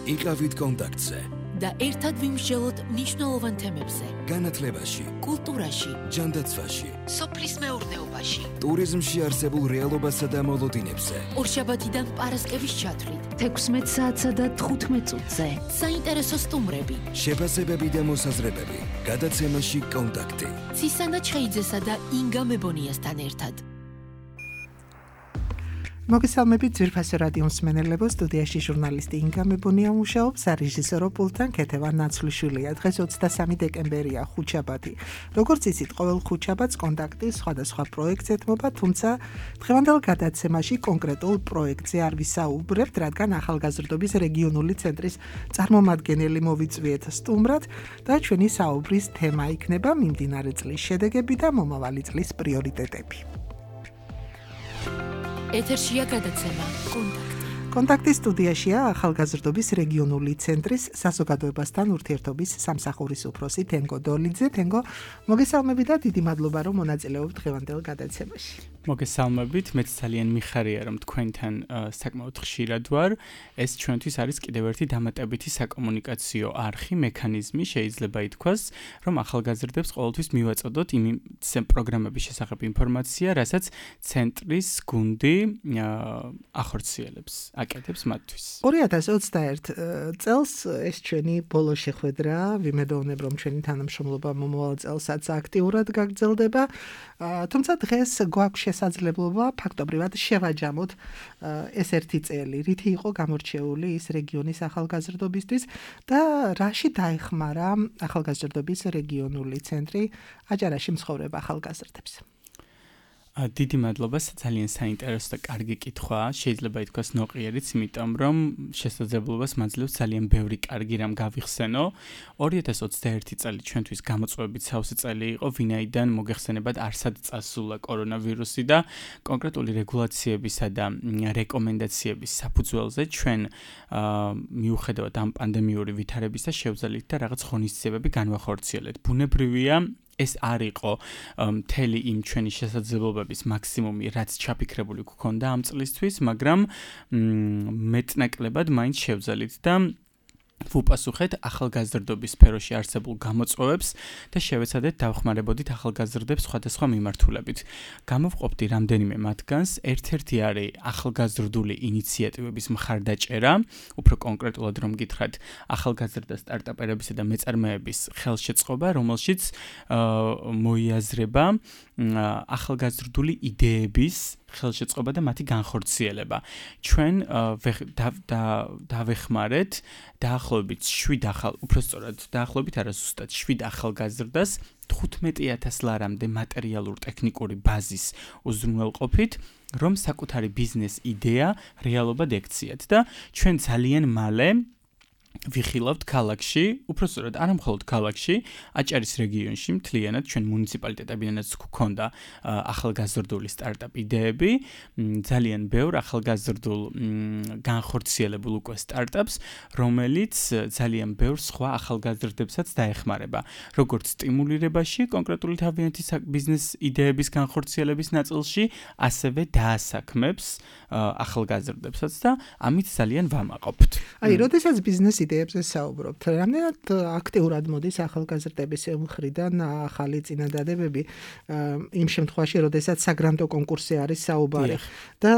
იყავით კონტაქტზე და ერთად ვიმსჯელოთ მნიშვნელოვან თემებზე. განათლებაში, კულტურაში, ჯანდაცვაში, სოფლის მეურნეობაში, ტურიზმში არსებულ რეალობასა და მოლოდინებზე. ორშაბათიდან პარასკევის ჩათვლით, 16 საათსა და 15 წუთზე. საინტერესო სტუმრები, შეფასებები და მოსაზრებები. გადაცემაში კონტაქტი. ცისანა ჩხეიძესა და ინგა მებონიასთან ერთად. მოგესალმებით ძვირფასო რადიო მსმენელებო, სტუდიაში ჟურნალისტი ინგა მებონია მუშაობს, რეჟისორო პულტთან ქეთევან ნაცვლიშვილია. დღეს 23 დეკემბერია, ხუთშაბათი. როგორც იცით, ყოველ ხუთშაბათს კონტაქტი სხვადასხვა პროექტს ეთმობა, თუმცა დღევანდელ გადაცემაში კონკრეტულ პროექტზე არ ვისაუბრებთ, რადგან ახალგაზრდობის რეგიონული ცენტრის წარმომადგენელი მოვიწვიეთ სტუმრად და ჩვენი საუბრის თემა იქნება მიმდინარე წლის შედეგები და მომავალი წლის პრიორიტეტები. ეთერშია გადაცემა კონტაქტი. კონტაქტის სტუდიაშია ახალგაზრდობის რეგიონული ცენტრის საზოგადოებასთან ურთიერთობის სამსახურის უფროსი თენგო დოლიძე. თენგო, მოგესალმებით და დიდი მადლობა, რომ მონაწილეობთ დღევანდელ გადაცემაში. მოგესალმებით, მეც ძალიან მიხარია, რომ თქვენთან საკმაოდ ხშირად ვარ. ეს ჩვენთვის არის კიდევ ერთი დამატებითი საკომუნიკაციო არხი, მექანიზმი, შეიძლება ითქვას, რომ ახალგაზრდებს ყოველთვის მივაწოდოთ იმ პროგრამების შესახებ ინფორმაცია, რასაც ცენტრის გუნდი ახორციელებს, აკეთებს მათთვის. 2021 წელს ეს ჩვენი ბოლო შეხვედრა, ვიმედოვნებ, რომ ჩვენი თანამშრომლობა მომავალ წელსაც აქტიურად გაგრძელდება, თუმცა დღეს გვაქვს შესაძლებლობა ფაქტობრივად შევაჯამოთ ეს ერთი წელი, რითი იყო გამორჩეული ის რეგიონის ახალგაზრდობისთვის და რაში დაეხმარა ახალგაზრდობის რეგიონული ცენტრი აჭარაში მცხოვრებ ახალგაზრდებს. დიდი მადლობა, ძალიან საინტერესო და კარგი კითხვაა. შეიძლება ითქვას ნოყიერიც, იმიტომ რომ შესაძლებლობას მაძლევს ძალიან ბევრი კარგი რამ გავიხსენო. 2021 წელი ჩვენთვის გამოწვევებით სავსე წელი იყო, ვინაიდან მოგეხსენებათ არსად წასულა კორონავირუსი და კონკრეტული რეგულაციებისა და რეკომენდაციების საფუძველზე ჩვენ მიუხედავად ამ პანდემიური ვითარებისა შევძელით და რაღაც ღონისძიებები განვახორციელეთ. ბუნებრივია ეს არ იყო მთელი იმ ჩვენი შესაძლებლობების მაქსიმუმი, რაც ჩაფიქრებული გვქონდა ამ წლისთვის, მაგრამ მეტნაკლებად მაინც შევძელით და ვუპასუხეთ ახალგაზრდობის სფეროში არსებულ გამოწვევებს და შევეცადეთ დავხმარებოდით ახალგაზრდებს სხვადასხვა მიმართულებით. გამოვყოფდი რამდენიმე მათგანს, ერთ-ერთი არის ახალგაზრდული ინიციატივების მხარდაჭერა, უფრო კონკრეტულად რომ გითხრათ, ახალგაზრდა სტარტაპერებისა და მეწარმეების ხელშეწყობა, რომელშიც მოიაზრება ახალგაზრდული იდეების ხელშეწყობა და მათი განხორციელება. ჩვენ დავეხმარეთ დაახლოებით 7 უпростоრად დაახლოებით არა ზუსტად 7 ახალგაზრდას 15,000 ლარამდე მატერიალურ-ტექნიკური ბაზის უზრუნველყოფით, რომ საკუთარი ბიზნეს იდეა რეალობად ექციათ და ჩვენ ძალიან მალე ვიხილავთ ქალაქში, უпростоრად არა მხოლოდ ქალაქში, აჭარის რეგიონში, მთლიანად ჩვენ მუნიციპალიტეტებიდანაც გვქონდა ახალგაზრდული სტარტაპ იდეები, ძალიან ბევრ ახალგაზრდულ განხორციელებულ უკვე სტარტაპს, რომელიც ძალიან ბევრ სხვა ახალგაზრდებსაც დაეხმარება, როგორც სტიმულირებაში, კონკრეტული თავიანთი ბიზნეს იდეების განხორციელების ნაწილში, ასევე დაასაქმებს ახალგაზრდებსაც და ამით ძალიან ვამაყობთ. აი, როდესაც ბიზნეს იდეებზე საუბრობთ, რამდენად აქტიურად მოდის ახალგაზრდების მხრიდან ახალი წინადადებები იმ შემთხვევაში, როდესაც საგრანტო კონკურსი არის საუბარი და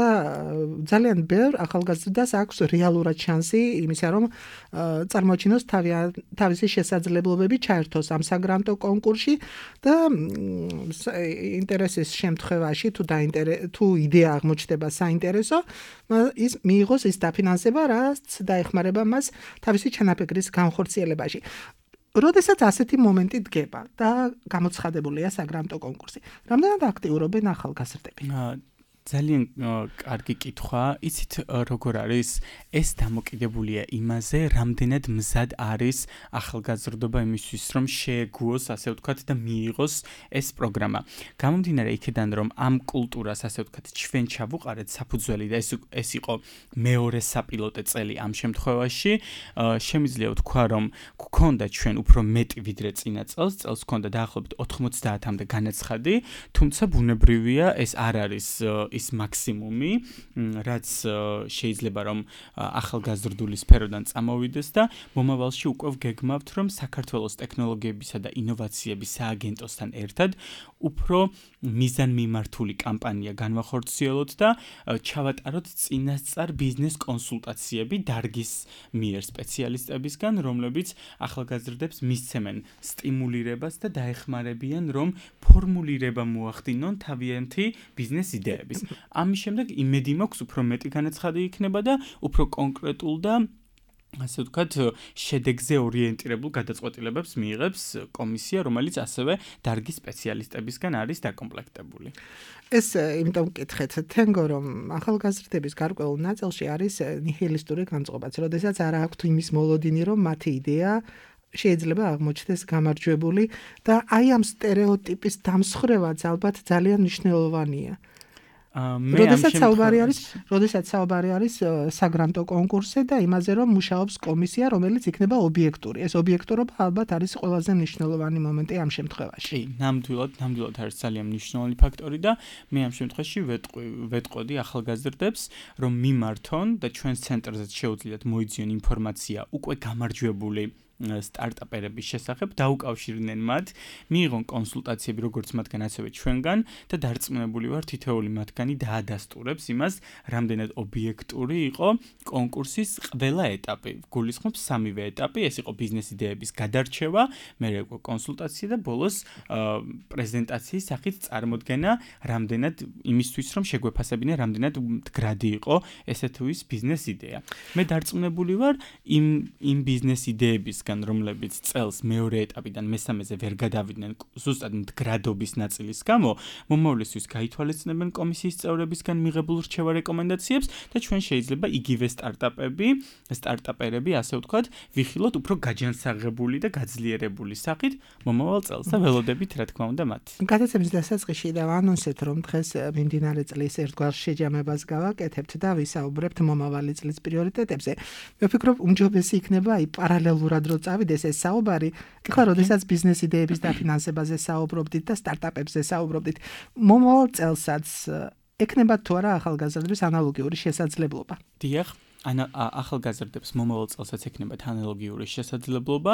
ძალიან ბევრ ახალგაზრდას აქვს რეალურად შანსი იმისა, რომ წარმოაჩინოს თავისი შესაძლებლობები ჩაერთოს ამ საგრანტო კონკურსში და ინტერესის შემთხვევაში თუ იდეა აღმოჩნდება საინტერესო, ის მიიღოს ის დაფინანსება, რაც დაეხმარება მას თავისი ჩანაფიქრის განხორციელებაში. როდესაც ასეთი მომენტი დგება და გამოცხადებულია საგრანტო კონკურსი, რამდენად აქტიურობენ ახალგაზრდები? ძალიან კარგი კითხვა. იცით როგორ არის? ეს დამოკიდებულია იმაზე, რამდენად მზად არის ახალგაზრდობა იმისთვის, რომ შეეგუოს, ასე ვთქვათ, და მიიღოს ეს პროგრამა. გამომდინარე იქიდან, რომ ამ კულტურას, ასე ვთქვათ, ჩვენ ჩავუყარეთ საფუძველი და ეს იყო მეორე საპილოტე წელი ამ შემთხვევაში, შემიძლია ვთქვა, რომ გვქონდა ჩვენ უფრო მეტი ვიდრე წინა წელს, გვქონდა დაახლოებით 90-მდე განაცხადი, თუმცა ბუნებრივია ეს არ არის ის მაქსიმუმი, რაც შეიძლება რომ ახალგაზრდული სფეროდან წამოვიდეს და მომავალში უკვე გეგმავთ, რომ საქართველოს ტექნოლოგიებისა და ინოვაციების სააგენტოსთან ერთად უფრო მიზანმიმართული კამპანია განვახორციელოთ და ჩავატაროთ წინასწარ ბიზნეს კონსულტაციები დარგის მიერ სპეციალისტებისგან, რომლებიც ახალგაზრდებს მისცემენ სტიმულირებას და დაეხმარებიან, რომ ფორმულირება მოახდინონ თავიანთი ბიზნეს იდეების. ამის შემდეგ იმედი მაქვს, უფრო მეტი განაცხადი იქნება და უფრო კონკრეტულ და ასე ვთქვათ, შედეგზე ორიენტირებულ გადაწყვეტილებებს მიიღებს კომისია, რომელიც ასევე დარგის სპეციალისტებისგან არის დაკომპლექტებული. ეს იმიტომ ვკითხეთ, თენგო რომ ახალგაზრდების გარკვეულ ნაწილში არის ნიჰილისტური განწყობაც, როდესაც არ აქვთ იმის მოლოდინი, რომ მათი იდეა შეიძლება აღმოჩნდეს გამარჯვებული და აი ამ სტერეოტიპის დამსხრევაც ალბათ ძალიან მნიშვნელოვანია. როდესაც საუბარი არის საგრანტო კონკურსზე და იმაზე, რომ მუშაობს კომისია, რომელიც იქნება ობიექტური. ეს ობიექტურობა ალბათ არის ყველაზე მნიშვნელოვანი მომენტი ამ შემთხვევაში. ნამდვილად არის ძალიან მნიშვნელოვანი ფაქტორი და მე ამ შემთხვევაში ვეტყოდი ახალგაზრდებს, რომ მიმართონ და ჩვენს ცენტრზეც შეუძლიათ მოიძიონ ინფორმაცია უკვე გამარჯვებული სტარტაპერების შესახებ, დაუკავშირდნენ მათ, მიიღონ კონსულტაციები როგორც მათგან, ასევე ჩვენგან და დარწმუნებული ვარ, თითოეული მათგანი დაადასტურებს იმას, რამდენად ობიექტური იყო კონკურსის ყველა ეტაპი. გულისხმობს სამივე ეტაპი, ეს იყო ბიზნეს იდეების გადარჩევა, მერე უკვე კონსულტაცია და ბოლოს პრეზენტაციის სახით წარმოდგენა, რამდენად იმისთვის, რომ შეგვეფასებინა, რამდენად მდგრადი იყო ესე თუ ის ბიზნეს იდეა. მე დარწმუნებული ვარ იმ ბიზნეს იდეების რომლებიც წელს მეორე ეტაპიდან მესამეზე ვერ გადავიდნენ ზუსტად მდგრადობის ნაწილის გამო, მომავლისთვის გაითვალისწინებენ კომისიის წევრებისგან მიღებულ რჩევა რეკომენდაციებს და ჩვენ შეიძლება იგივე სტარტაპერები, ასე ვთქვათ, ვიხილოთ უფრო გაჯანსაღებული და გაძლიერებული სახით მომავალ წელს და ველოდებით, რა თქმა უნდა, მათ. გადაცემის დასაწყისში და ვანონსეთ, რომ დღეს მიმდინარე წლის ერთგვარ შეჯამებას გავაკეთებთ და ვისაუბრებთ მომავალი წლის პრიორიტეტებზე. მე ვფიქრობ, უმჯობესი იქნება აი პარალელურად წავიდეს ეს საუბარი, ეხლა როდესაც ბიზნეს იდეების დაფინანსებაზე საუბრობდით და სტარტაპებზე საუბრობდით, მომავალ წელსაც ექნება თუ არა ახალგაზრდების ანალოგიური შესაძლებლობა? დიახ, ახალგაზრდებს მომავალ წელსაც ექნებათ ანალოგიური შესაძლებლობა,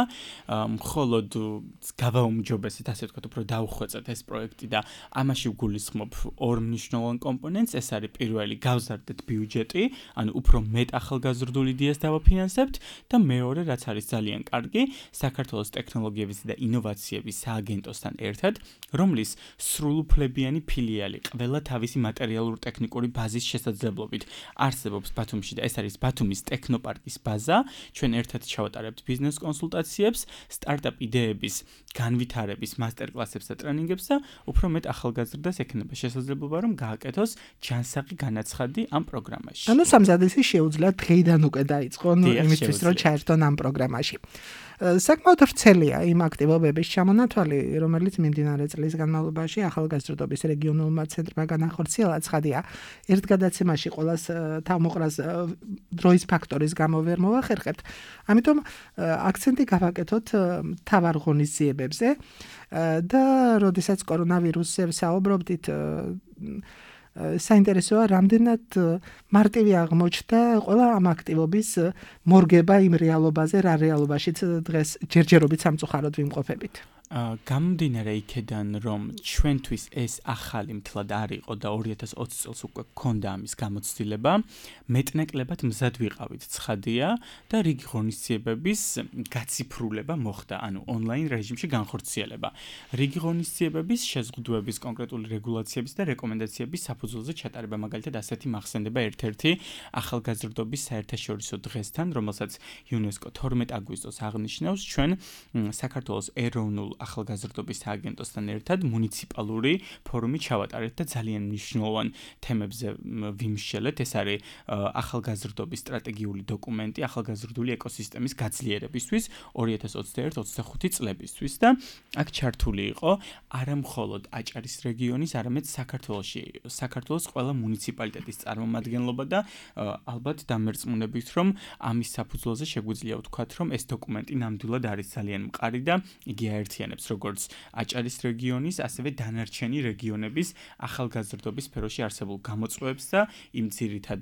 მხოლოდ გავაუმჯობესეთ, ასე ვთქვათ, უფრო დაუხვეწეთ ეს პროექტი და ამაში ვგულისხმობ ორ მნიშვნელოვან კომპონენტს, ეს არის პირველი, გავზარდეთ ბიუჯეტი, ანუ უფრო მეტ ახალგაზრდულ იდეას დავაფინანსებთ და მეორე, რაც არის ძალიან კარგი, საქართველოს ტექნოლოგიების და ინოვაციების სააგენტოსთან ერთად, რომლის სრულუფლებიანი ფილიალი ყველა თავისი მატერიალურ-ტექნიკური ბაზის შესაძლებლობით არსებობს ბათუმში და ეს არის ბათუმის ტექნოპარკის ბაზა, ჩვენ ერთად ჩავატარებთ ბიზნეს კონსულტაციებს, სტარტაპ იდეების განვითარების მასტერკლასებს და ტრენინგებს და უფრო მეტ ახალგაზრდას ექნება შესაძლებლობა, რომ გააკეთოს ჯანსაღი განაცხადი ამ პროგრამაში. ანუ სამზადისი შეუძლიათ დღეიდან უკვე დაიწყონ იმისთვის, რომ ჩაერთონ ამ პროგრამაში. საკმაოდ ვრცელია იმ აქტივობების ჩამონათვალი, რომელიც მიმდინარე წლის განმავლობაში ახალგაზრდობის რეგიონულმა ცენტრმა განახორციელა. ცხადია, ერთ გადაცემაში ყოველას თავმოყრას დროის ფაქტორის გამო ვერ მოვახერხებთ. ამიტომ აქცენტი გავაკეთოთ მთავარ ღონისძიებებზე და როდესაც კორონავირუსზე საუბრობდით, საინტერესოა, რამდენად მარტივი აღმოჩნდა ყველა ამ აქტივობის მორგება იმ რეალობაზე, რა რეალობაშიც დღეს ჯერჯერობით სამწუხაროდ ვიმყოფებით. გამომდინარე იქედან, რომ ჩვენთვის ეს ახალი მთლად არ იყო და 2020 წელს უკვე გქონდა ამის გამოცდილება, მეტნაკლებად მზად ვიყავით, ცხადია და რიგი ღონისძიებების გაციფრულება მოხდა, ანუ ონლაინ რეჟიმში განხორციელება. რიგი ღონისძიებების შეზღუდვების კონკრეტული რეგულაციების და რეკომენდაციების საფუძველზე ჩატარება, მაგალითად ასეთი მახსენდება ერთ-ერთი ახალგაზრდობის საერთაშორისო დღესთან, რომელსაც იუნესკო 12 აგვისტოს აღნიშნავს, ჩვენ საქართველოს ეროვნულ ახალგაზრდობის სააგენტოსთან ერთად მუნიციპალური ფორუმი ჩავატარეთ და ძალიან მნიშვნელოვან თემებზე ვიმსჯელეთ. ეს არის ახალგაზრდობის სტრატეგიული დოკუმენტი ახალგაზრდული ეკოსისტემის გაძლიერებისთვის 2021-25 წლებისთვის და აქ ჩართული იყო არა მხოლოდ აჭარის რეგიონის, არამედ საქართველოს ყველა მუნიციპალიტეტის წარმომადგენლობა და ალბათ დამერწმუნებით, რომ ამის საფუძველზე შეგვიძლია ვთქვათ, რომ ეს დოკუმენტი ნამდვილად არის ძალიან მყარი და იგი აერთიანებს აერთიანებს როგორც აჭარის რეგიონის, ასევე დანარჩენი რეგიონების ახალგაზრდობის სფეროში არსებულ გამოწვევებს და იმ ძირითად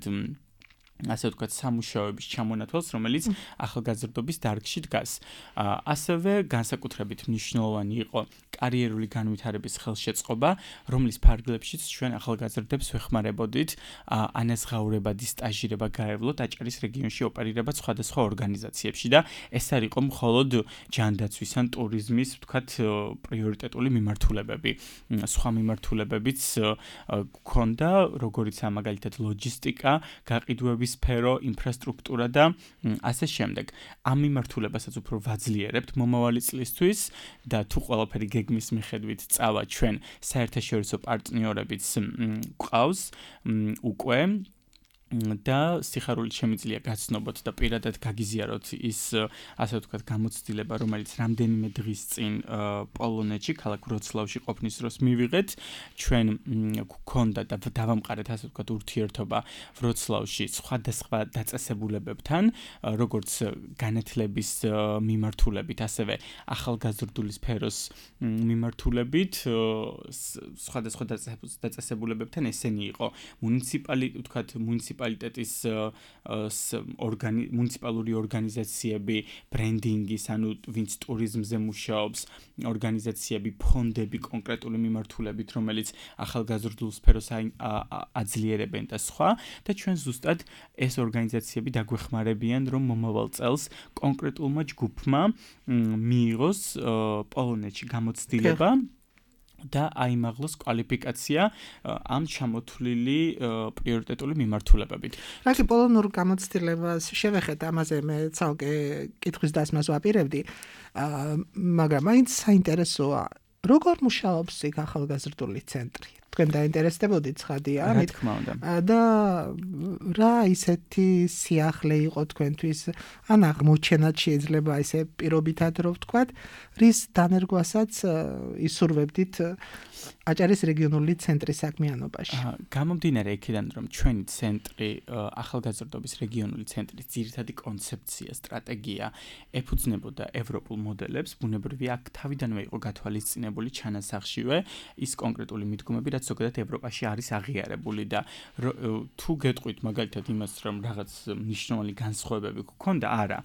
ასე ვთქვათ, სამუშაოების ჩამონათვალს, რომელიც ახალგაზრდობის დარგში დგას. ასევე განსაკუთრებით მნიშვნელოვანი იყო კარიერული განვითარების ხელშეწყობა, რომლის ფარგლებშიც ჩვენ ახალგაზრდებს ვეხმარებოდით ანაზღაურებადი სტაჟირება გაევლოთ აჭარის რეგიონში ოპერირებად სხვადასხვა ორგანიზაციებში და ეს არ იყო მხოლოდ ჯანდაცვის ან ტურიზმის, ვთქვათ, პრიორიტეტული მიმართულებები. სხვა მიმართულებებიც გქონდა, როგორიცაა მაგალითად ლოჯისტიკა, გაყიდვების სფერო, ინფრასტრუქტურა და ასე შემდეგ. ამ მიმართულებასაც უფრო ვაძლიერებთ მომავალი წლისთვის და თუ ყველაფერი გეგმის მიხედვით წავა ჩვენ საერთაშორისო პარტნიორებიც გვყავს უკვე და სიხარულით შემიძლია გაცნობოთ და პირადად გაგიზიაროთ ის ასე ვთქვათ გამოცდილება, რომელიც რამდენიმე დღის წინ პოლონეთში, ქალაქ ვროცლავში ყოფნის დროს მივიღეთ. ჩვენ გვქონდა და დავამყარეთ ასე ვთქვათ ურთიერთობა ვროცლავში სხვადასხვა დაწესებულებებთან, როგორც განათლების მიმართულებით, ასევე ახალგაზრდული სფეროს მიმართულებით, სხვადასხვა დაწესებულებებთან ესენი იყო მუნიციპალიტეტის მუნიციპალური ორგანიზაციები, ბრენდინგის, ანუ ვინც ტურიზმზე მუშაობს, ორგანიზაციები, ფონდები კონკრეტული მიმართულებით, რომელიც ახალგაზრდულ სფეროს აძლიერებენ და სხვა და ჩვენ ზუსტად ეს ორგანიზაციები დაგვეხმარებიან, რომ მომავალ წელს კონკრეტულმა ჯგუფმა მიიღოს პოლონეთში გამოცდილება და აიმაღლოს კვალიფიკაცია ამ ჩამოთვლილი პრიორიტეტული მიმართულებებით. რაკი პოლონურ გამოცდილებას შევეხეთ, ამაზე მე ცალკე კითხვის დასმას ვაპირებდი, მაგრამ მაინც საინტერესოა, როგორ მუშაობს იქ ახალგაზრდული ცენტრი? თქვენ დაინტერესდებოდით ცხადია, რა თქმა უნდა. და რა ისეთი სიახლე იყო თქვენთვის, ან აღმოჩენად შეიძლება ესე პირობითად რო ვთქვათ, რის დანერგვასაც ისურვებდით აჭარის რეგიონული ცენტრის საქმიანობაში. გამომდინარე იქიდან, რომ ჩვენი ცენტრი, ახალგაზრდობის რეგიონული ცენტრის ძირითადი კონცეფცია, სტრატეგია ეფუძნებოდა ევროპულ მოდელებს, ბუნებრივია აქ თავიდანვე იყო გათვალისწინებული ჩანასახშივე ის კონკრეტული მიდგომები, რაც ზოგადად ევროპაში არის აღიარებული და თუ გეტყვით მაგალითად იმას, რომ რაღაც მნიშვნელოვანი განსხვავებები გქონდა, არა,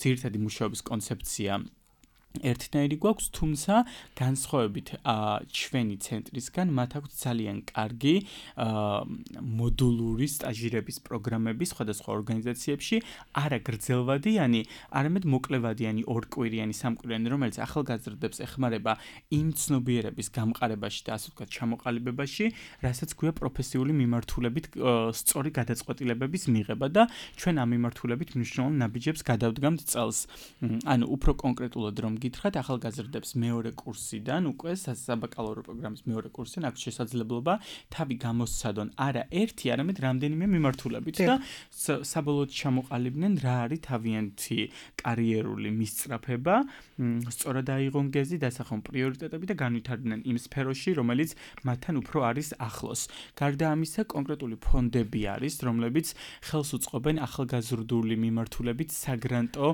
ძირითადი მუშაობის კონცეფცია ერთნაირი გვაქვს, თუმცა განსხვავებით ჩვენი ცენტრისგან მათ აქვს ძალიან კარგი მოდულური სტაჟირების პროგრამები სხვადასხვა ორგანიზაციებში, არა გრძელვადიანი, არამედ მოკლევადიანი, ორკვირიანი, სამკვირიანი, რომელიც ახალგაზრდებს ეხმარება იმ ცნობიერების გამყარებაში და ასე ვთქვათ ჩამოყალიბებაში, რასაც გვია პროფესიული მიმართულებით სწორი გადაწყვეტილებების მიღება და ჩვენ ამ მიმართულებით მნიშვნელოვან ნაბიჯებს გადავდგამთ წელს. ანუ უფრო კონკრეტულად რომ გითხრათ, ახალგაზრდებს მეორე კურსიდან უკვე საბაკალავრო პროგრამის მეორე კურსიდან აქვს შესაძლებლობა თავი გამოსცადონ არა ერთი, არამედ რამდენიმე მიმართულებით და საბოლოოდ ჩამოყალიბდნენ რა არის თავიანთი კარიერული მისწრაფება, სწორად აიღონ გეზი, დასახონ პრიორიტეტები და განვითარდნენ იმ სფეროში, რომელიც მათთან უფრო არის ახლოს. გარდა ამისა, კონკრეტული ფონდები არის, რომლებიც ხელს უწყობენ ახალგაზრდული მიმართულებით საგრანტო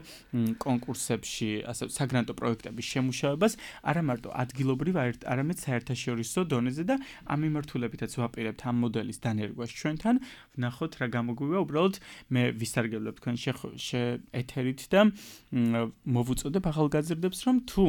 კონკურსებში, ასე საგრანტო პროექტების შემუშავებას, არა მარტო ადგილობრივ, არამედ საერთაშორისო დონეზე და ამ მიმართულებითაც ვაპირებთ ამ მოდელის დანერგვას ჩვენთან. ვნახოთ რა გამოგვივა, უბრალოდ მე ვისარგებლებ თქვენ ეთერით და მოვუწოდებ ახალგაზრდებს, რომ თუ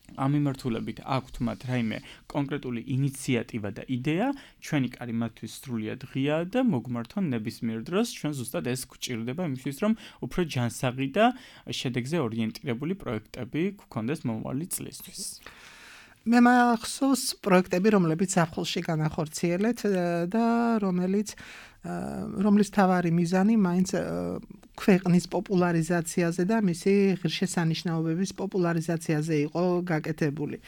ამ მიმართულებით აქვთ მათ რაიმე კონკრეტული ინიციატივა და იდეა, ჩვენი კარი მათთვის სრულიად ღიაა და მოგმართონ ნებისმიერ დროს, ჩვენ ზუსტად ეს გვჭირდება იმისთვის, რომ უფრო ჯანსაღი და შედეგზე ორიენტირებული პროექტები გქონდეს მომავალი წლისთვის. მე მახსოვს პროექტები, რომლებიც ზაფხულში განახორციელეთ და რომლის თავარი მიზანი მაინც ქვეყნის პოპულარიზაციაზე და მისი ღირსშესანიშნაობების პოპულარიზაციაზე იყო გაკეთებული.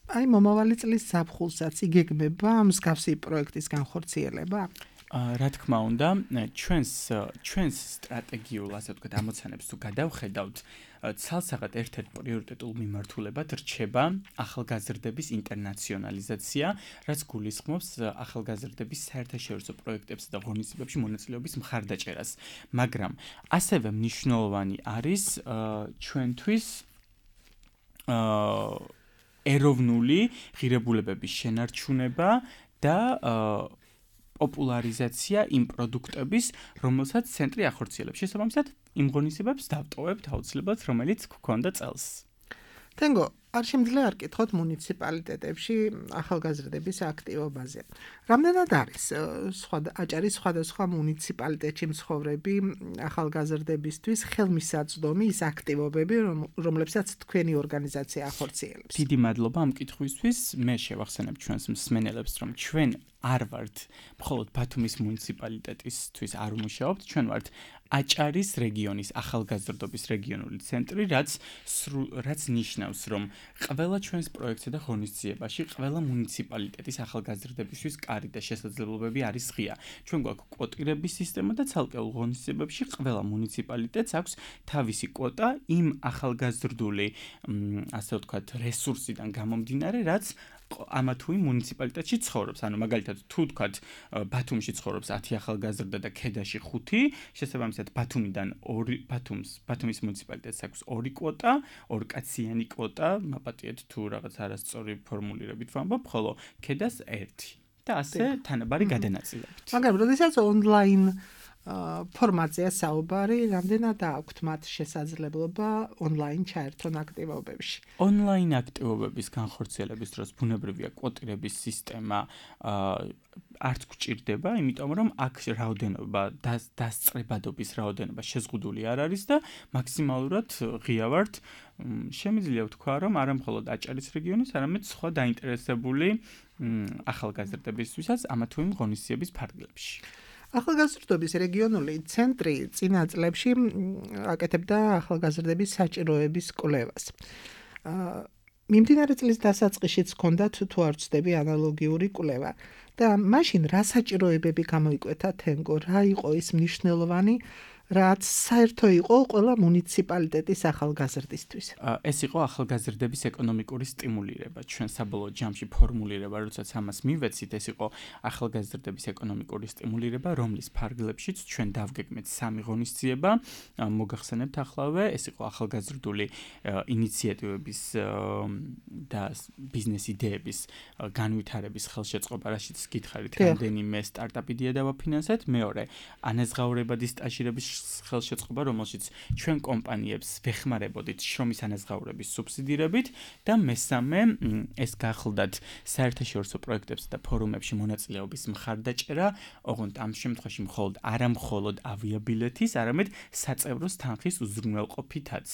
აი მომავალი წლის ზაფხულსაც იგეგმება მსგავსი პროექტის განხორციელება? რა თქმა უნდა, ჩვენს სტრატეგიულ, ასე ვთქვათ, ამოცანებს თუ გადავხედავთ, ცალსაღად ერთ-ერთ პრიორიტეტულ მიმართულებად რჩება ახალგაზრდების ინტერნაციონალიზაცია, რაც გულისხმობს ახალგაზრდების საერთაშორისო პროექტებსა და ღონისძიებებში მონაწილეობის მხარდაჭერას. მაგრამ ასევე მნიშვნელოვანი არის ჩვენთვის ეროვნული ღირებულებების შენარჩუნება და პოპულარიზაცია იმ პროდუქტების, რომელსაც ცენტრი ახორციელებს. შესაბამისად, იმ ღონისძიებებს დავტოვებთ აუცილებლად, რომელიც გქონდა წელს. თენგო, არ შემიძლია არ კითხოთ მუნიციპალიტეტებში ახალგაზრდების აქტივობაზე. რამდენად არის აჭარის სხვადასხვა მუნიციპალიტეტში მცხოვრები ახალგაზრდებისთვის ხელმისაწვდომი ის აქტივობები, რომლებსაც თქვენი ორგანიზაცია ახორციელებს? დიდი მადლობა ამ კითხვისთვის. მე შევახსენებ ჩვენს მსმენელებს, რომ ჩვენ არ ვართ მხოლოდ ბათუმის მუნიციპალიტეტისთვის არ ვმუშაობთ, ჩვენ ვართ აჭარის რეგიონის ახალგაზრდობის რეგიონული ცენტრი, რაც ნიშნავს, რომ ყველა ჩვენს პროექტსა და ღონისძიებაში ყველა მუნიციპალიტეტის ახალგაზრდებისთვის კარი და შესაძლებლობები არის ღია. ჩვენ გვაქვს კვოტირების სისტემა და ცალკეულ ღონისძიებებში ყველა მუნიციპალიტეტს აქვს თავისი კვოტა იმ ახალგაზრდული, ასე ვთქვათ, რესურსიდან გამომდინარე, რაც ამა თუ იმ მუნიციპალიტეტში ცხოვრობს. ანუ მაგალითად, თუ ვთქვათ, ბათუმში ცხოვრობს 10 ახალგაზრდა და ქედაში 5, შესაბამისად ბათუმიდან ბათუმის მუნიციპალიტეტს აქვს 2 კვოტა, 2 კაციანი კვოტა, მაპატიეთ თუ რაღაც არასწორი ფორმულირებით ვამბობ, ხოლო ქედას 1 და ასე თანაბარი გადანაწილებით. მაგრამ როდესაც ონლაინ ფორმატზეა საუბარი, რამდენად აქვთ მათ შესაძლებლობა ონლაინ ჩაერთონ აქტივობებში? ონლაინ აქტივობების განხორციელების დროს ბუნებრივია კვოტირების სისტემა არც გვჭირდება, იმიტომ რომ აქ რაოდენობა დასწრებადობის რაოდენობა შეზღუდული არ არის და მაქსიმალურად ღია ვართ. შემიძლია ვთქვა, რომ არა მხოლოდ აჭარის რეგიონის, არამედ სხვა დაინტერესებული ახალგაზრდებისთვისაც ამა თუ იმ ღონისძიების ფარგლებში. ახალგაზრდობის რეგიონული ცენტრი წინა წლებში აკეთებდა ახალგაზრდების საჭიროების კვლევას. მიმდინარე წლის დასაწყისშიც ჰქონდათ თუ არ ვცდები ანალოგიური კვლევა და მაშინ რა საჭიროებები გამოიკვეთა თენგო, რა იყო ის მნიშვნელოვანი, რაც საერთო იყო ყველა მუნიციპალიტეტის ახალგაზრდისთვის. ეს იყო ახალგაზრდების ეკონომიკური სტიმულირება. ჩვენ საბოლოო ჯამში ფორმულირება, როდესაც ამას მივეცით, ეს იყო ახალგაზრდების ეკონომიკური სტიმულირება, რომლის ფარგლებშიც ჩვენ დავგეგმეთ 3 ღონისძიება. მოგახსენებთ ახლავე, ეს იყო ახალგაზრდული ინიციატივების და ბიზნეს იდეების განვითარების ხელშეწყობა, რაშიც გითხარით, რამდენიმე სტარტაპი დავაფინანსეთ. მეორე, ანაზღაურებადი სტაჟირების ხელშეწყობა, რომელშიც ჩვენ კომპანიებს ვეხმარებოდით შრომის ანაზღაურების სუბსიდირებით და მესამე, ეს გახლდათ საერთაშორისო პროექტებს და ფორუმებში მონაწილეობის მხარდაჭერა, ოღონდ ამ შემთხვევაში არა მხოლოდ ავიაბილეთის, არამედ საწევროს თანხის უზრუნველყოფითაც.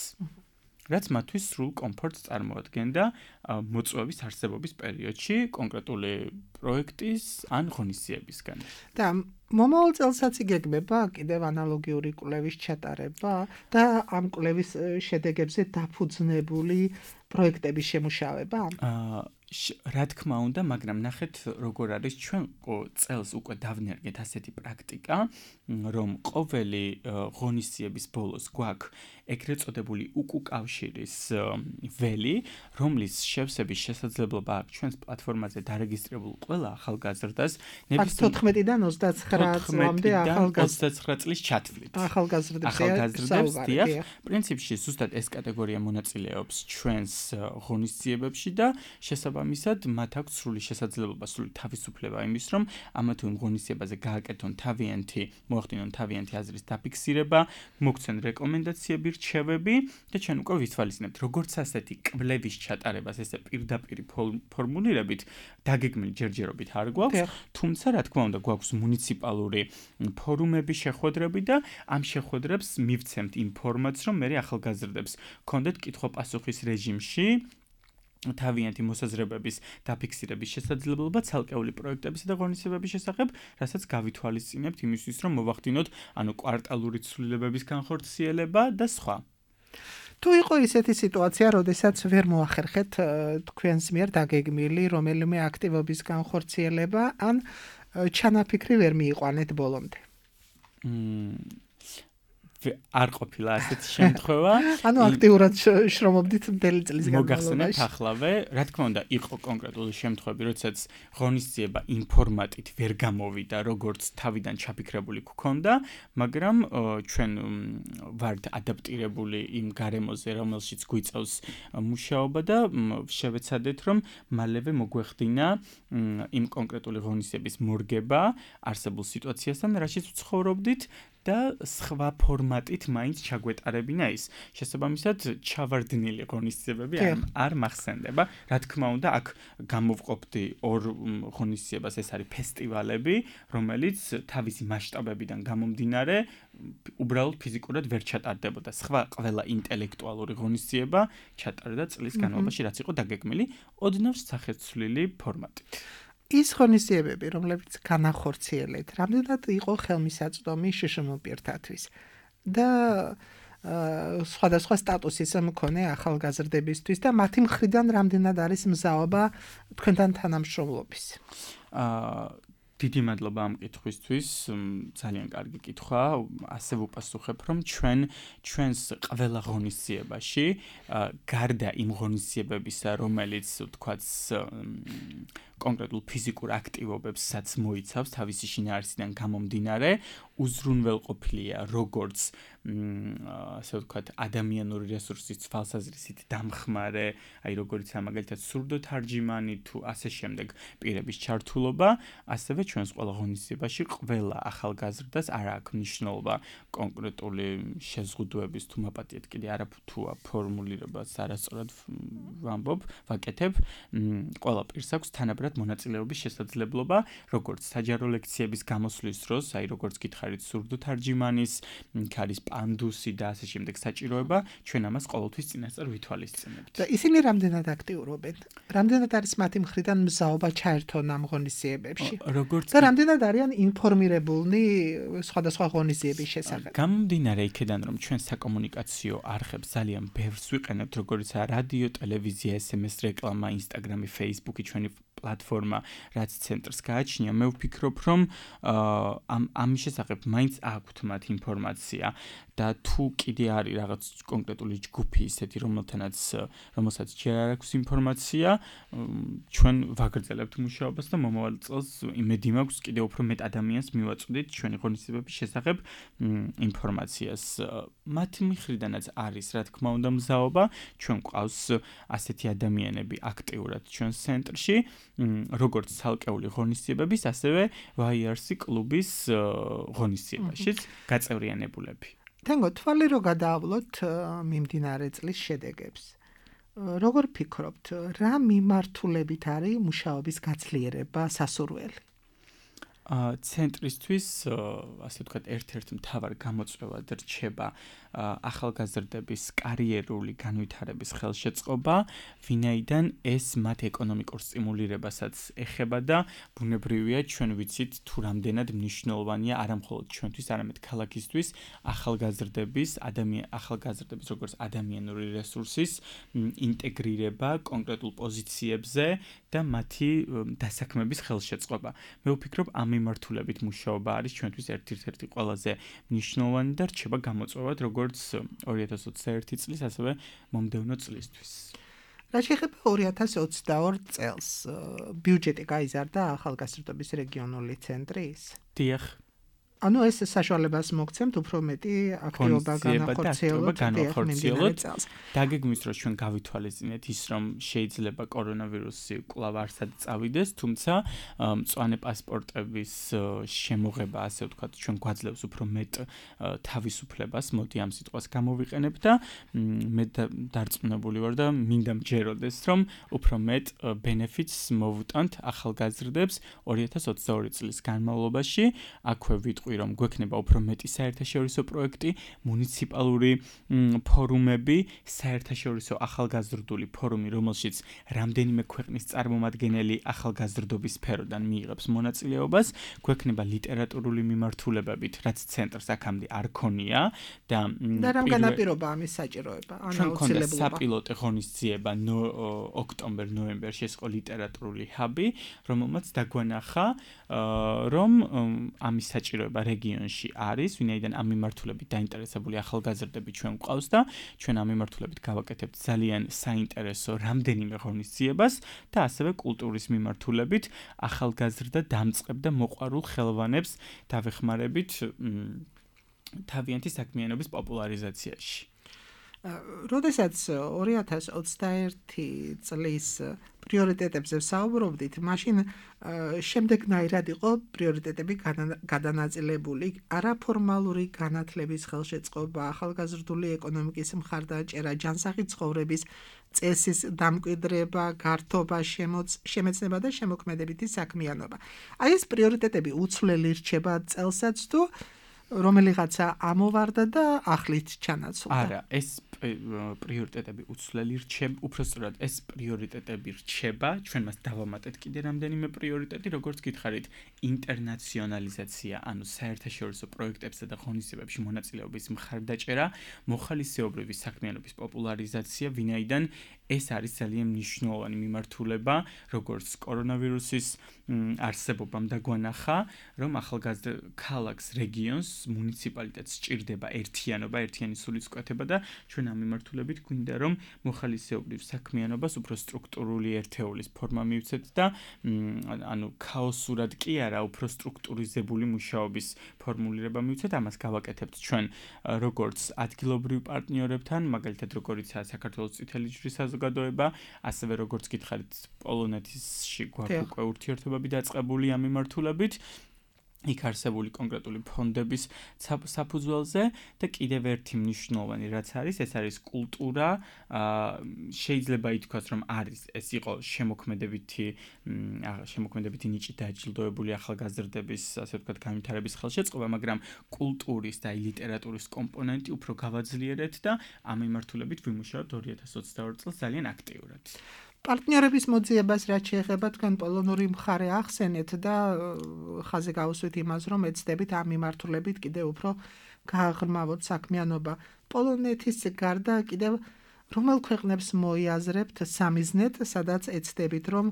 რაც მათთვის სრულ კომფორტს წარმოადგენდა მოწვევის არსებობის პერიოდში კონკრეტული პროექტის ან ღონისძიებისგან. და მომავალ წელსაც იგეგმება კიდევ ანალოგიური კვლევის ჩატარება და ამ კვლევის შედეგებზე დაფუძნებული პროექტების შემუშავება? რა თქმა უნდა, მაგრამ ნახეთ როგორ არის, ჩვენ წელს უკვე დავნერგეთ ასეთი პრაქტიკა, რომ ყოველი ღონისძიების ბოლოს გვაქვს ეგრეთ წოდებული უკუკავშირის ველი, რომლის შევსების შესაძლებლობა აქვს ჩვენს პლატფორმაზე დარეგისტრირებულ ყველა ახალგაზრდას, 14-დან 29 წლამდე 29 წლის ჩათვლით. ახალგაზრდებს დიახ, პრინციპში ზუსტად ეს კატეგორია მონაწილეობს ჩვენს ღონისძიებებში და შესაბამისად მათ აქვს სრული შესაძლებლობა, სრული თავისუფლება იმის, რომ ამა თუ იმ ღონისძიებაზე გააკეთონ მოახდინონ თავიანთი აზრის დაფიქსირება, მოგცენ რეკომენდაციები, რჩევები და ჩვენ უკვე ვითვალისწინებთ, როგორც ასეთი კვლევის ჩატარებას ესე პირდაპირ ფორმულირებით დაგეგმილი ჯერჯერობით არ გვაქვს, თუმცა რა თქმა უნდა გვაქვს მუნიციპალური ფორუმები, შეხვედრები და ამ შეხვედრებს მივცემთ იმ ფორმატს, რომ მე ახალგაზრდებს გქონდეთ კითხვა-პასუხის რეჟიმში თავიანთი მოსაზრებების დაფიქსირების შესაძლებლობა ცალკეული პროექტებისა და ღონისძიებების შესახებ, რასაც გავითვალისწინებთ იმისთვის, რომ მოვახდინოთ კვარტალური ცვლილებების განხორციელება და სხვა. თუ იყო ისეთი სიტუაცია, როდესაც ვერ მოახერხეთ თქვენს მიერ დაგეგმილი რომელიმე აქტივობის განხორციელება, ან ჩანაფიქრი ვერ მიიყვანეთ ბოლომდე? არ ყოფილა ასეთი შემთხვევა. ანუ აქტიურად შრომობდით მთელი წლის მოგახსენებთ ახლავე, რა თქმა უნდა, იყო კონკრეტული შემთხვევები, როდესაც ღონისძიება იმ ფორმატით ვერ გამოვიდა, როგორც თავიდან ჩაფიქრებული გქონდა, მაგრამ ჩვენ ვართ ადაპტირებული იმ გარემოზე, რომელშიც გვიწევს მუშაობა და შევეცადეთ, რომ მალევე მოგვეხდინა იმ კონკრეტული ღონისძიების მორგება არსებულ სიტუაციასთან, რაშიც ვცხოვრობდით და სხვა ფორმატით მაინც ჩაგვეტარებინა ის. შესაბამისად, ჩავარდნილი ღონისძიებები არ მახსენდება. რა თქმა უნდა, აქ გამოვყოფდი ორ ღონისძიებას, ეს არის ფესტივალები, რომელიც თავისი მასშტაბებიდან გამომდინარე, უბრალოდ ფიზიკურად ვერ ჩატარდებოდა. სხვა ყველა ინტელექტუალური ღონისძიება ჩატარდა წლის განმავლობაში, რაც იყო დაგეგმილი ოდნავ სახეცვლილი ფორმატით. ის ღონისძიებები, რომლებიც განახორციელეთ, რამდენად იყო ხელმისაწვდომი შშმ პირთათვის და სხვადასხვა სტატუსის მქონე ახალგაზრდებისთვის და მათი მხრიდან რამდენად არის მზაობა თქვენთან თანამშრომლობის. დიდი მადლობა ამ კითხვისთვის, ძალიან კარგი კითხვა. ასე ვუპასუხებ, რომ ჩვენს ყველა ღონისძიებაში, გარდა იმ ღონისძიებებისა, რომელიც თქვაც კონკრეტულ ფიზიკურ აქტივობებსაც მოიცავს თავისი შინაარსიდან გამომდინარე, უზრუნველყოფილია როგორც ასე ვთქვათ ადამიანური რესურსის თვალსაზრისით დამხმარე, აი როგორიც მაგალითად სურდოთარჯიმანი თუ ასე შემდეგ პირების ჩართულობა, ასევე ჩვენს ყველა ღონისძიებაში ყველა ახალგაზრდას არ აქვს მნიშვნელობა კონკრეტული შეზღუდვების თუ მაპატიეთ კიდე არაფთუა ფორმულირებას არასწორად ვამბობ, ვაკეთებ, ყველა პირს აქვს თანაბრად მონაწილეობის შესაძლებლობა, როგორც საჯარო ლექციების გამოსვლის დროს, აი როგორც გითხარით სურდოთარჯიმანის, ქარის პანდუსი და ასე შემდეგ საჭიროება, ჩვენ ამას ყოველთვის წინასწარ ვითვალისწინებთ. და ისინი რამდენად აქტიურობენ? რამდენად არის მათი მხრიდან მზაობა ჩაერთონ ამ ღონისძიებებში? და რამდენად არიან ინფორმირებულნი სხვადასხვა ღონისძიების შესახებ? გამომდინარე იქედან, რომ ჩვენ საკომუნიკაციო არხებს ძალიან ბევრს ვიყენებთ, როგორიცაა რადიო, ტელევიზია, SMS რეკლამა, Instagram, Facebook-ი, ჩვენი პლატფორმა, რაც ცენტრს გააჩნია, მე ვფიქრობ, რომ ამის შესახებ მაინც აქვთ მათ ინფორმაცია და თუ კიდე არის რაღაც კონკრეტული ჯგუფი ისეთი, რომელსაც ჯერ არ აქვს ინფორმაცია, ჩვენ ვაგრძელებთ მუშაობას და მომავალ წელს იმედი მაქვს კიდე უფრო მეტ ადამიანს მივაწვდით ჩვენი ღონისძიებების შესახებ ინფორმაციას. მათი მხრიდანაც არის, რა თქმა უნდა, მზაობა, ჩვენ გვყავს ასეთი ადამიანები აქტიურად ჩვენს ცენტრში, როგორც ცალკეული ღონისძიებების, ასევე YRC კლუბის ღონისძიებაშიც გაწევრიანებულები. თენგო, თვალი რო გადაავლოთ მიმდინარე წლის შედეგებს. როგორ ფიქრობთ, რა მიმართულებით არის მუშაობის გაძლიერება სასურველი? ცენტრისთვის, ასე ვთქვათ, ერთ-ერთი მთავარი გამოწვევად რჩება ახალგაზრდების კარიერული განვითარების ხელშეწყობა, ვინაიდან ეს მათ ეკონომიკურ სტიმულირებასაც ეხება და ბუნებრივია ჩვენ ვიცით თუ რამდენად მნიშვნელოვანია არა მხოლოდ ჩვენთვის, არამედ ქალაქისთვის ახალგაზრდების როგორც ადამიანური რესურსის ინტეგრირება კონკრეტულ პოზიციებზე და მათი დასაქმების ხელშეწყობა. მე ვფიქრობ, ამ მიმართულებით მუშაობა არის ჩვენთვის ერთ-ერთი ყველაზე მნიშვნელოვანი და რჩება გამოწვევად როგორც 2021 წლის, ასევე მომდევნო წლისთვის. რა შეეხება 2022 წელს, ბიუჯეტი გაიზარდა ახალგაზრდობის რეგიონული ცენტრის? დიახ. ანუ ეს საშუალებას მოგცემთ უფრო მეტი აქტივობა განახორციელოთ. დაგეგმვის დროს ჩვენ გავითვალისწინეთ ის, რომ შეიძლება კორონავირუსი კვლავ არსად წავიდეს, თუმცა მწვანე პასპორტების შემოღება, ასე ვთქვათ, ჩვენ გვაძლევს უფრო მეტ თავისუფლებას, მოდი ამ სიტყვას გამოვიყენებ და მე დარწმუნებული ვარ და მინდა მჯეროდეს, რომ უფრო მეტ ბენეფიტს მოვუტანთ ახალგაზრდებს 2022 წლის განმავლობაში, აქვე ვიტყვი რომ გვექნება უფრო მეტი საერთაშორისო პროექტი, მუნიციპალური ფორუმები, საერთაშორისო ახალგაზრდული ფორუმი, რომელშიც რამდენიმე ქვეყნის წარმომადგენელი ახალგაზრდობის სფეროდან მიიღებს მონაწილეობას, გვექნება ლიტერატურული მიმართულებებით, რაც ცენტრს აქამდე არ ქონია და რამ განაპირობა ამის საჭიროება, აუცილებლობა. საპილოტო ღონისძიება ოქტომბერ-ნოემბერში ეს იყო ლიტერატურული ჰაბი, რომელმაც დაგვანახა, რომ ამის საჭიროება რეგიონში არის, ვინაიდან ამ მიმართულებით დაინტერესებული ახალგაზრდები ჩვენ გვყავს და ჩვენ ამ მიმართულებით გავაკეთებთ ძალიან საინტერესო რამდენიმე ღონისძიებას და ასევე კულტურის მიმართულებით ახალგაზრდა დამწყებ და მოყვარულ ხელოვანებს დავეხმარებით თავიანთი საქმიანობის პოპულარიზაციაში. როდესაც 2021 წლის პრიორიტეტებზე ვსაუბრობდით, მაშინ შემდეგნაირად იყო პრიორიტეტები გადანაწილებული: არაფორმალური განათლების ხელშეწყობა, ახალგაზრდული ეკონომიკის მხარდაჭერა, ჯანსაღი ცხოვრების წესის დამკვიდრება, გართობა, შემეცნება და შემოქმედებითი საქმიანობა. აი ეს პრიორიტეტები უცვლელი რჩება წელსაც თუ რომელიღაცა ამოვარდა და ახლით ჩანაცვლდა. არა, ეს პრიორიტეტები უცვლელი რჩება, უпростоრად ეს პრიორიტეტები რჩება, ჩვენ მას დავამატეთ კიდე რამდენიმე პრიორიტეტი, როგორც გითხარით, ინტერნაციონალიზაცია, ანუ საერთაშორისო პროექტებსა და ღონისძიებებში მონაწილეობის მხარდაჭერა, მოხალისეობრივი საქმიანობის პოპულარიზაცია, ვინაიდან ეს არის ძალიან მნიშვნელოვანი მიმართულება, როგორც კორონავირუსის არსებობამ დაგვანახა, რომ ახალგაზრდა ქალაქს, რეგიონს, მუნიციპალიტეტს სჭირდება ერთიანობა, ერთიანი სულისკვეთება და ჩვენ ამ მიმართულებით გვინდა რომ მოხალისეობრივ საქმიანობას უფრო სტრუქტურული ერთეულის ფორმა მივცეთ და ანუ ქაოსურად კი არა, უფრო სტრუქტურიზებული მუშაობის ფორმულირება მივცეთ, ამას გავაკეთებთ ჩვენ როგორც ადგილობრივ პარტნიორებთან, მაგალითად როგორიცაა საქართველოს წითელი ჯვრის საზოგადოება, ასევე როგორც გითხარით პოლონეთში გვაქვს უკვე ურთიერთობები დაწყებული ამ მიმართულებით. იქ არსებული კონკრეტული ფონდების საფუძველზე და კიდევ ერთი მნიშვნელოვანი რაც არის, ეს არის კულტურა, შეიძლება ითქვას რომ არის ეს იყო შემოქმედებითი ნიჭით დაჯილდოებული ახალგაზრდების, ასე ვთქვათ, განვითარების ხელშეწყობა, მაგრამ კულტურის და ლიტერატურის კომპონენტი უფრო გავაძლიერეთ და ამ მიმართულებით ვიმუშაოთ 2022 წელს ძალიან აქტიურად. პარტნიორების მოძიებას რაც შეეხება თქვენ პოლონური მხარე ახსენეთ და ხაზი გაუსვით იმას, რომ ეცდებით ამ მიმართულებით კიდევ უფრო გააღრმავოთ საქმიანობა. პოლონეთის გარდა კიდევ რომელ ქვეყნებს მოიაზრებთ სამიზნედ, სადაც ეცდებით რომ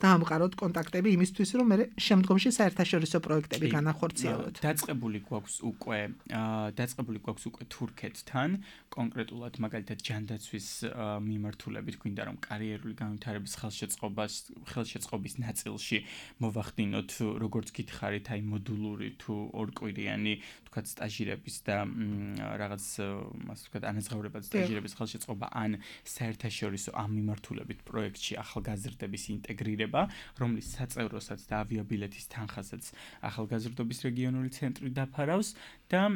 დაამყაროთ კონტაქტები იმისთვის, რომ მე შემდგომში საერთაშორისო პროექტები განახორციელოთ. დაწყებული გვაქვს უკვე თურქეთთან, კონკრეტულად მაგალითად ჯანდაცვის მიმართულებით გვინდა რომ კარიერული განვითარების ხელშეწყობის ნაწილში მოვახდინოთ, როგორც გითხარით, აი მოდულური თუ ორკვირიანი, თქვათ სტაჟირების და რაღაც ასე ვთქვათ, ანაზღაურებად სტაჟირების ხელშეწყობა ან საერთაშორისო ამ მიმართულებით პროექტში ახალგაზრდების ინტეგრირება, რომლის საწევროსაც და ავიაბილეთის თანხასაც ახალგაზრდობის რეგიონული ცენტრი დაფარავს და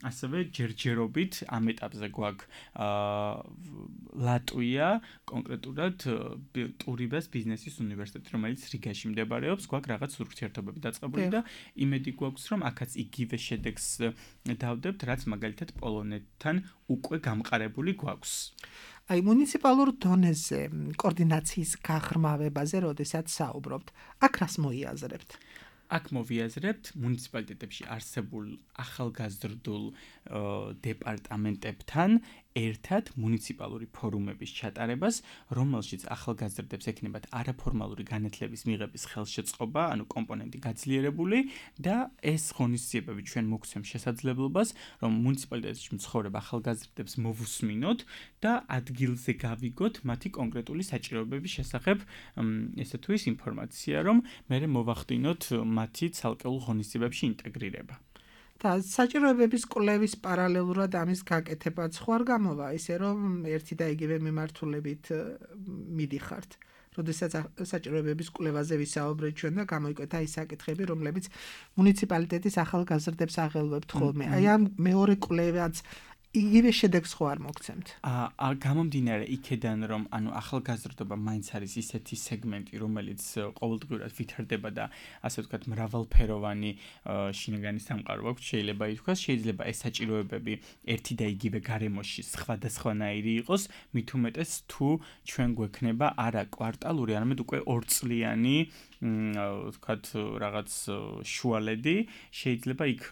ასევე ჯერჯერობით ამ ეტაპზე გვაქვს ლატვია, კონკრეტულად ტურიბას ბიზნესის უნივერსიტეტი, რომელიც რიგაში მდებარეობს, გვაქვს რაღაც ურთიერთობები დაწყებული და იმედი გვაქვს, რომ აქაც იგივე შედეგს დავდებთ, რაც მაგალითად პოლონეთთან უკვე გამყარებული გვაქვს. აი მუნიციპალურ დონეზე კოორდინაციის გაღრმავებაზე, როდესაც საუბრობთ, აქ რას მოიაზრებთ? აქ მოვიაზრებთ მუნიციპალიტეტებში არსებულ ახალგაზრდულ დეპარტამენტებთან ერთად მუნიციპალური ფორუმების ჩატარებას, რომელშიც ახალგაზრდებს ექნებათ არაფორმალური განათლების მიღების ხელშეწყობა, ანუ კომპონენტი გაძლიერებული და ეს ღონისძიებები ჩვენ მოგცემ შესაძლებლობას, რომ მუნიციპალიტეტში მცხოვრებ ახალგაზრდებს მოვუსმინოთ და ადგილზე გავიგოთ მათი კონკრეტული საჭიროებების შესახებ ესე თუ ის ინფორმაცია, რომ მე მოვახდინოთ მათი ცალკეულ ღონისძიებებში ინტეგრირება. და საჭიროებების კვლევის პარალელურად ამის გაკეთებაც ხო არ გამოვა, ისე რომ ერთი და იგივე მიმართულებით მიდიხართ. როდესაც საჭიროებების კვლევაზე ვისაუბრეთ ჩვენ და გამოიკვეთა ის საკითხები, რომლებიც მუნიციპალიტეტის ახალგაზრდებს აღელვებთ ხოლმე. აი ამ მეორე კვლევაც იგივე შედეგს ხო არ მოგცემთ? გამომდინარე იქედან, რომ ანუ ახალგაზრდობა მაინც არის ისეთი სეგმენტი, რომელიც ყოველდღიურად ვითარდება და ასე ვთქვათ, მრავალფეროვანი შინაგანი სამყარო აქვს, შეიძლება ითქვას, შეიძლება ეს საჭიროებები ერთი და იგივე გარემოში სხვადასხვანაირი იყოს, მით უმეტეს თუ ჩვენ გვექნება არა კვარტალური, არამედ უკვე ორწლიანი ვთქვათ, რაღაც შუალედი, შეიძლება იქ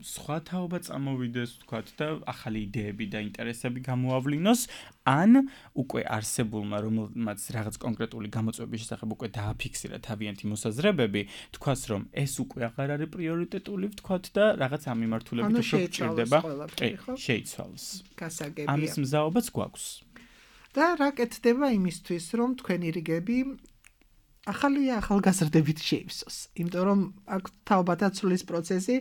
სხვა თაობა წამოვიდეს, ვთქვათ და ახალი იდეები და ინტერესები გამოავლინოს, ან უკვე არსებულმა, რომელმაც რაღაც კონკრეტული გამოწვევის შესახებ უკვე დააფიქსირა თავიანთი მოსაზრებები, თქვას რომ ეს უკვე აღარ არის პრიორიტეტული, ვთქვათ და რაღაც ამ მიმართულებით უფრო გჭირდება, შეიცვალოს. გასაგებია. ამის მზაობაც გვაქვს. და რა კეთდება იმისთვის, რომ თქვენი რიგები ახალგაზრდებით შეივსოს, იმიტომ რომ აქ თაობათაცვლის პროცესი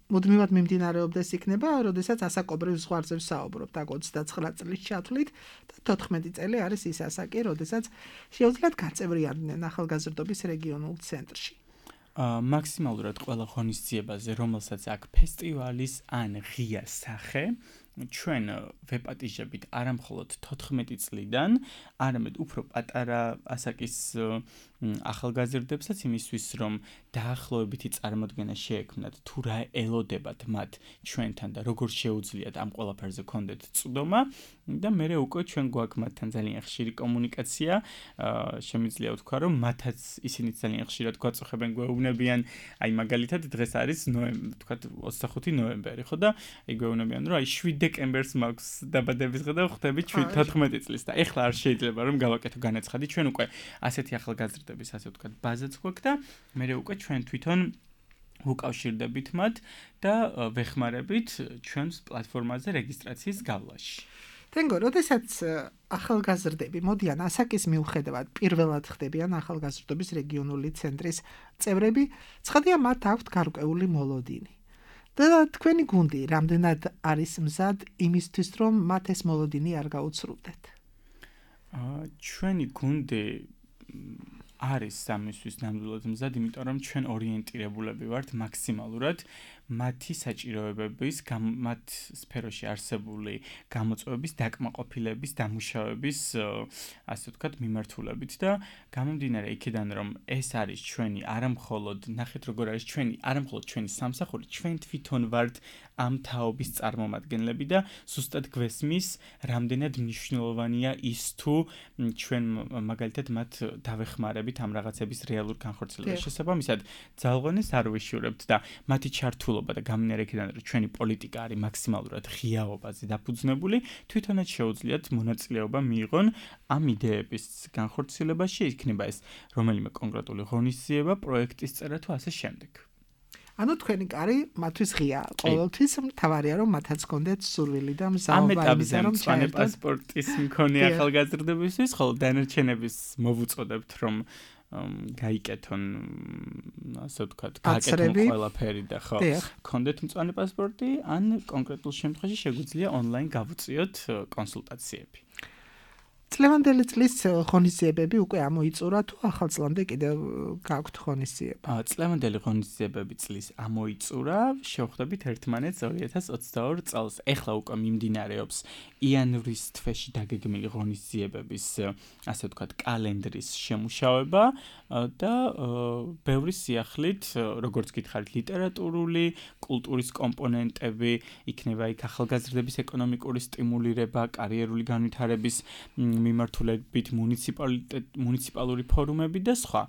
მუდმივად მიმდინარეობდეს იქნება, როდესაც ასაკობრივ ზღვარზე ვსაუბრობთ, აქ 29 წლის ჩათვლით და 14 წელი არის ის ასაკი, როდესაც შეუძლიათ გაწევრიანდნენ ახალგაზრდობის რეგიონულ ცენტრში. მაქსიმალურად ყველა ღონისძიებაზე, რომელსაც აქ ფესტივალის ან ღია სახე, ჩვენ ვეპატიჟებით არა მხოლოდ 14 წლიდან, არამედ უფრო პატარა ასაკის ახალგაზრდებსაც იმისთვის, რომ დაახლოებითი წარმოდგენა შეექმნათ, თუ რა ელოდებათ მათ ჩვენთან და როგორ შეუძლიათ ამ ყველაფერზე გქონდეთ წვდომა და მერე უკვე ჩვენ გვაქვს მათთან ძალიან ხშირი კომუნიკაცია, შემიძლია ვთქვა, რომ მათაც ისინი ძალიან ხშირად გვაწუხებენ, გვეუბნებიან, აი მაგალითად დღეს არის ვთქვათ 25 ნოემბერი, ხო და აი გვეუბნებიან, რომ აი 7 დეკემბერს მაქვს დაბადების დღე და ხვდებით 14 წლის და ეხლა არ შეიძლება რომ გავაკეთო განაცხადი, ჩვენ უკვე ასეთი ახალგაზრდების ასე ვთქვათ ბაზაც გვაქვს და მერე უკვე ჩვენ თვითონ ვუკავშირდებით მათ და ვეხმარებით ჩვენს პლატფორმაზე რეგისტრაციის გავლაში. თენგო, როდესაც ახალგაზრდები მოდიან ასაკის მიუხედავად პირველად ხდებიან ახალგაზრდობის რეგიონული ცენტრის წევრები, ცხადია მათ აქვთ გარკვეული მოლოდინი. და თქვენი გუნდი რამდენად არის მზად იმისთვის, რომ მათ ეს მოლოდინი არ გაუცრუდეთ? ჩვენი გუნდი არის სამისთვის ნამდვილად მზად, იმიტომ რომ ჩვენ ორიენტირებულები ვართ მაქსიმალურად მათი საჭიროებების, მათ სფეროში არსებული გამოწვევების, დაკმაყოფილების, დამუშავების, ასე ვთქვათ, მიმართულებით და გამომდინარე იქიდან, რომ ეს არის ჩვენი არამხოლოდ, ნახეთ როგორ არის ჩვენი, არამხოლოდ ჩვენი სამსახური, ჩვენ თვითონ ვართ ამ თაობის წარმომადგენლები და ზუსტად გვესმის, რამდენად მნიშვნელოვანია ის თუ ჩვენ მაგალითად მათ დავეხმარებით ამ რაღაცების რეალურ განხორციელებას. შესაბამისად, ძალღონეს არ ვიშურებთ და მათი ჩართულობა და გამდინარე იქიდან, რომ ჩვენი პოლიტიკა არის მაქსიმალურად ღიაობაზე დაფუძნებული, თვითონაც შეუძლიათ მონაწილეობა მიიღონ ამ იდეების განხორციელებაში, იქნება ეს რომელიმე კონკრეტული ღონისძიება, პროექტის წერა თუ ასე შემდეგ. ანუ თქვენი კარი მათთვის ღია, ყოველთვის მთავარია რომ მათაც გქონდეთ სურვილი და მზაობა, ამ ეტაპზე რომ პასპორტის მქონე ახალგაზრდებისთვის, ხოლო დანარჩენების მოვუწოდებთ რომ გაიკეთონ, ასე ვთქვათ, გააკეთონ ყველაფერი და ხო, გქონდეთ მწვანე პასპორტი, ან კონკრეტულ შემთხვევაში შეგვიძლია ონლაინ გავუწიოთ კონსულტაციები. წლევანდელი წლის ღონისძიებები უკვე ამოიწურა თუ ახალწლამდე კიდევ გაქვთ ღონისძიება? წლევანდელი ღონისძიებები წლის ამოიწურა, შევხვდებით ერთმანეთს 2022 წელს. ეხლა უკვე მიმდინარეობს იანვრის თვეში დაგეგმილი ღონისძიებების, ასე ვთქვათ, კალენდრის შემუშავება და ბევრი სიახლით, როგორც გითხარით, ლიტერატურული, კულტურის კომპონენტები, იქნება იქ ახალგაზრდების ეკონომიკური სტიმულირება, კარიერული განვითარების მიმართულებით მუნიციპალური ფორუმები და სხვა.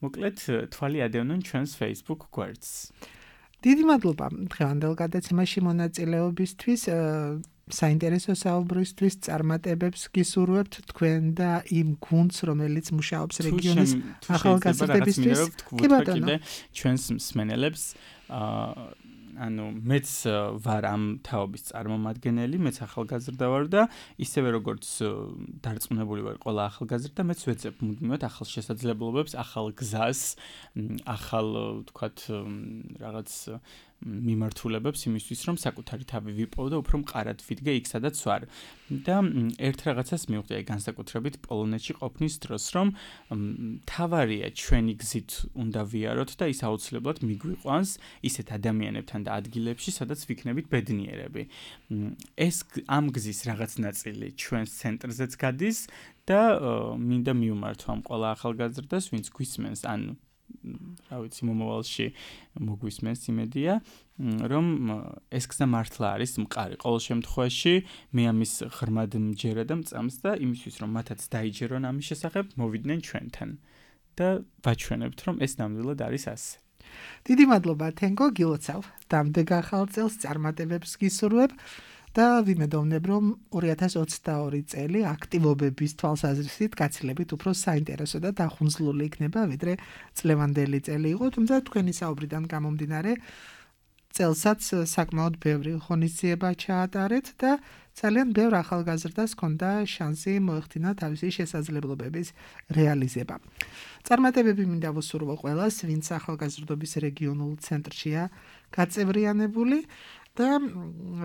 მოკლედ, თვალი ადევნონ ჩვენს Facebook გვერდს. დიდი მადლობა დღევანდელ გადაცემაში მონაწილეობისთვის, საინტერესო საუბრისთვის, წარმატებებს გისურვებთ თქვენ და იმ გუნდს, რომელიც მუშაობს რეგიონის ახალგაზრდებისთვის. კი ბატონო, ჩვენს მსმენელებს ანუ მეც ვარ ამ თაობის წარმომადგენელი, მეც ახალგაზრდა ვარ და ისევე როგორც დარწმუნებული ვარ ყველა ახალგაზრდა, მეც ვეძებ მუდმივად ახალ შესაძლებლობებს, ახალ გზას, ახალ ვთქვათ რაღაც მიმართულებებს იმისთვის, რომ საკუთარი თავი ვიპოვო და უფრო მყარად ვიდგე იქ, სადაც ვარ. და ერთ რაღაცას მივხვდი, აი განსაკუთრებით პოლონეთში ყოფნის დროს, რომ თავარია ჩვენი გზით უნდა ვიაროთ და ის აუცილებლად მიგვიყვანს ისეთ ადამიანებთან და ადგილებში, სადაც ვიქნებით ბედნიერები. ეს ამ გზის რაღაც ნაწილი ჩვენს ცენტრზეც გადის და მინდა მივმართო ამ ყველა ახალგაზრდას, ვინც გვისმენს, ან რა ვიცი, მომავალში მოგვისმენს იმედია, რომ ეს გზა მართლა არის მყარი. ყოველ შემთხვევაში მე ამის ღრმად მჯერა და მწამს და იმისთვის, რომ მათაც დაიჯერონ ამის შესახებ, მოვიდნენ ჩვენთან. და ვაჩვენებთ, რომ ეს ნამდვილად არის ასე. დიდი მადლობა თენგო, გილოცავ. დამდეგ ახალ წელს, წარმატებებს გისურვებ და ვიმედოვნებ, რომ 2022 წელი აქტივობების თვალსაზრისით გაცილებით უფრო საინტერესო და დახუნძლული იქნება, ვიდრე წლევანდელი წელი იყო, თუმცა თქვენი საუბრიდან გამომდინარე, წელსაც საკმაოდ ბევრი ღონისძიება ჩაატარეთ და ძალიან ბევრ ახალგაზრდას ჰქონდა შანსი მოეხდინა თავისი შესაძლებლობების რეალიზება. წარმატებები მინდა ვუსურვო ყველას, ვინც ახალგაზრდობის რეგიონულ ცენტრშია გაწევრიანებული და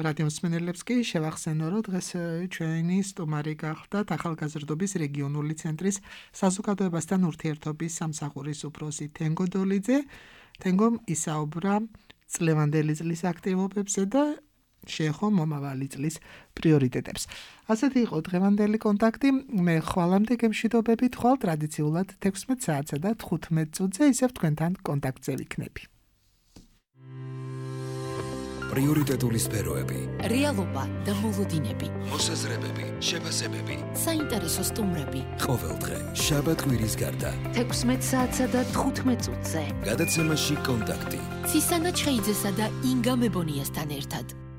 რადიო მსმენელებს კი შევახსენო, რომ დღეს ჩვენი სტუმარი გახლდათ ახალგაზრდობის რეგიონული ცენტრის საზოგადოებასთან ურთიერთობის სამსახურის უფროსი თენგო დოლიძე. თენგომ ისაუბრა წლევანდელი წლის აქტივობებზე და შეეხო მომავალი წლის პრიორიტეტებს. ასეთი იყო დღევანდელი კონტაქტი. მე ხვალამდე გემშვიდობებით, ხვალ ტრადიციულად 16 საათსა და 15 წუთზე ისევ თქვენთან კონტაქტზე ვიქნები. პრიორიტეტული სფეროები, რეალობა და მოლოდინები, მოსაზრებები, შეფასებები, საინტერესო სტუმრები. ყოველდღე, შაბათ-კვირის გარდა. 16 საათსა და 15 წუთზე. გადაცემაში კონტაქტი. ცისანა ჩხეიძესა და ინგა მებონიასთან ერთად.